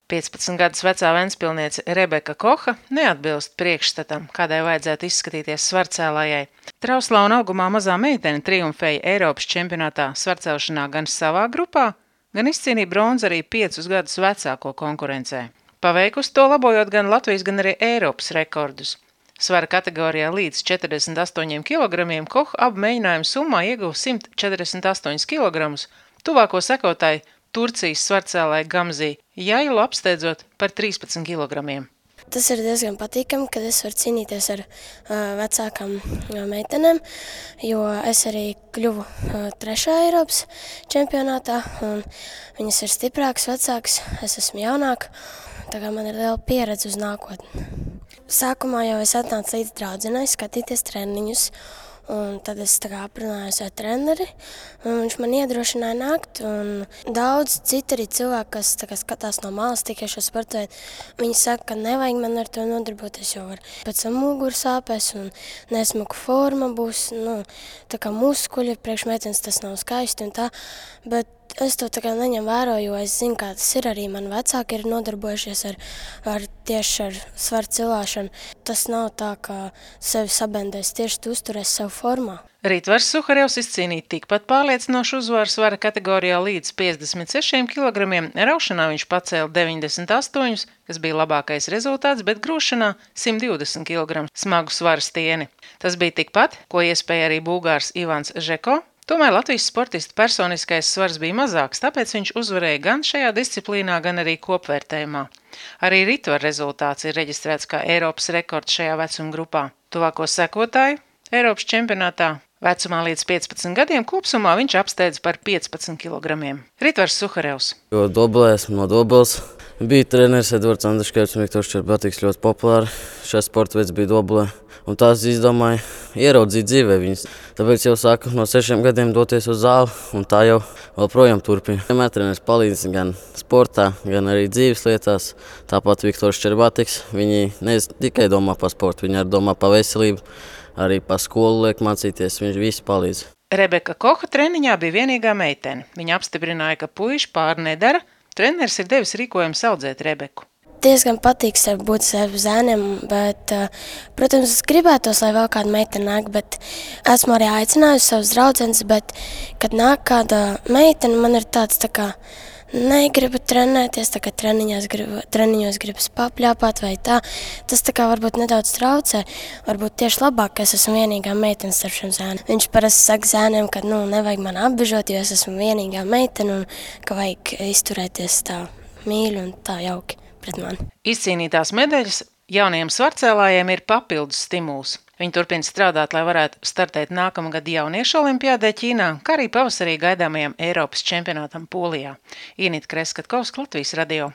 15 gadus vecā ventspilniece Rebeka Koha neatbilst priekšstatam, kādai vajadzētu izskatīties svarcēlājai. Trauslā un augumā mazā meitene triumfēja Eiropas čempionātā svarcelšanā gan savā grupā, gan izcīnīja bronzu arī 5 gadus vecāko konkurencē. Paveikusi to labojot gan Latvijas, gan arī Eiropas rekordus. Svara kategorijā līdz 48 kg Koha abu mēģinājumu summā ieguva 148 kg, tuvāko sekotāju Turcijas svarcēlāju Gamzī Jailu apsteidzot par 13 kg. Tas ir diezgan patīkami, kad es varu cīnīties ar vecākām meitenēm, jo es arī kļuvu 3. Eiropas čempionātā, un viņas ir stiprākas, vecākas, es esmu jaunāka, tā kā man ir liela pieredze uz nākotni. Sākumā jau es atnācu līdz draudzenei skatīties treniņus, un tad es aprunājos ar treneri, un viņš man iedrošināja nākt, un daudz citi arī cilvēki, kas skatās no malas tikai šo sportu veidu, viņi saka, ka nevajag man ar to nodarboties, jo var pēc tam muguras sāpēs un nesmuka forma būs, tā kā muskuļi, priekš meitenes tas nav skaisti un tā, bet es to neņem vērā, jo es zinu, kā tas ir arī. Mani vecāki ir nodarbojušies tieši ar svaru cilāšanu. Tas nav tā, ka sevi sabendēs, tieši tu uzturēs sev formā. Ritvars Suharevs izcīnīja tikpat pārliecinošu uzvaru svara kategorijā līdz 56 kg. Raušanā viņš pacēla 98, kas bija labākais rezultāts, bet grūšanā 120 kg smagu svaru stieni. Tas bija tikpat, ko iespēja arī bulgārs Ivans Žeko. Tomēr Latvijas sportista personiskais svars bija mazāks, tāpēc viņš uzvarēja gan šajā disciplīnā, gan arī kopvērtējumā. Arī Ritvara rezultāts ir reģistrēts kā Eiropas rekords šajā vecuma grupā. Tuvāko sekotāju Eiropas čempionātā vecumā līdz 15 gadiem kopsumā viņš apsteidza par 15 kg. Ritvars Suharevs. Jo dobulē esmu no Dobeles. Bija treneris Edvards Andriškevits un Viktors Čerbatiks ļoti populāri. Šajā sporta veids bija dobulē. Un tās izdomāju ieraudzīt dzīvē viņas. Tāpēc jau sāku no 6 gadiem doties uz zāli, un tā jau joprojām turpina. Vienmēr treneris palīdz gan sportā, gan arī dzīves lietās. Tāpat Viktors Čerbatiks, viņi ne tikai domā par sportu, viņi arī domā par veselību, arī par skolu liek mācīties, viņš visi palīdz. Rebeka Koha treniņā bija vienīgā meitene. Viņa apstiprināja, ka puiši pāri nedara. Treneris ir devis rīkojumu audzēt Rebeku. Diezgan patīk būt ar zēniem, bet, protams, es gribētos, lai vēl kāda meitene nāk, bet esmu arī aicinājusi savus draudzenes, bet, kad nāk kāda meitene, man ir tāds negribu trenēties, treniņos gribas papļāpāt vai tā. Tas varbūt nedaudz traucē, varbūt tieši labāk, ka es esmu vienīgā meitene starp šiem zēniem. Viņš parasti saka zēniem, ka nevajag man apbežot, jo es esmu vienīgā meitene un ka vajag izturēties tā mīļi un tā jauki. Izcīnītās medaļas jaunajiem svarcēlājiem ir papildus stimuls. Viņi turpina strādāt, lai varētu startēt nākamgad jauniešu olimpiādē Ķīnā, kā arī pavasarī gaidāmajam Eiropas čempionātam Polijā. Inita Kreskatkovska, Latvijas radio.